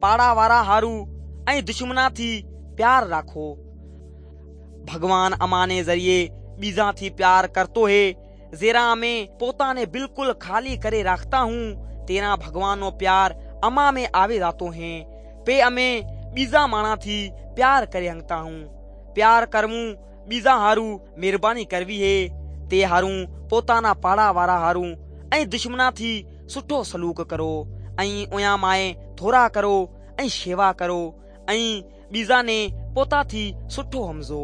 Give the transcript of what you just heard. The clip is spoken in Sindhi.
پاڙا وارا هارو ۽ دشمنا ٿي پيار راکو. ڀڳوان اماني ذريعي ٻيزان ٿي پيار ڪرتو هي. زيرا امي پوتاني بلڪل خالي ڪري راکتا هون تيرا ڀڳوان نو پيار اما ۾ آوي جاتو هي. پي امي ٻيزا ماڻا ٿي پيار ڪري هنگتا هون. پيار ڪروون ٻيزا هارو مهرباني ڪروي هي. تي هارون پوتانا پاڙا وارا هارو ۽ دشمنا ٿي سٺو سلوڪ ڪرو ۽ اويان مائي ٿورا ڪرو ۽ شيوا ڪرو ۽ ٻيزا ني پوتا ٿي سٺو همزو.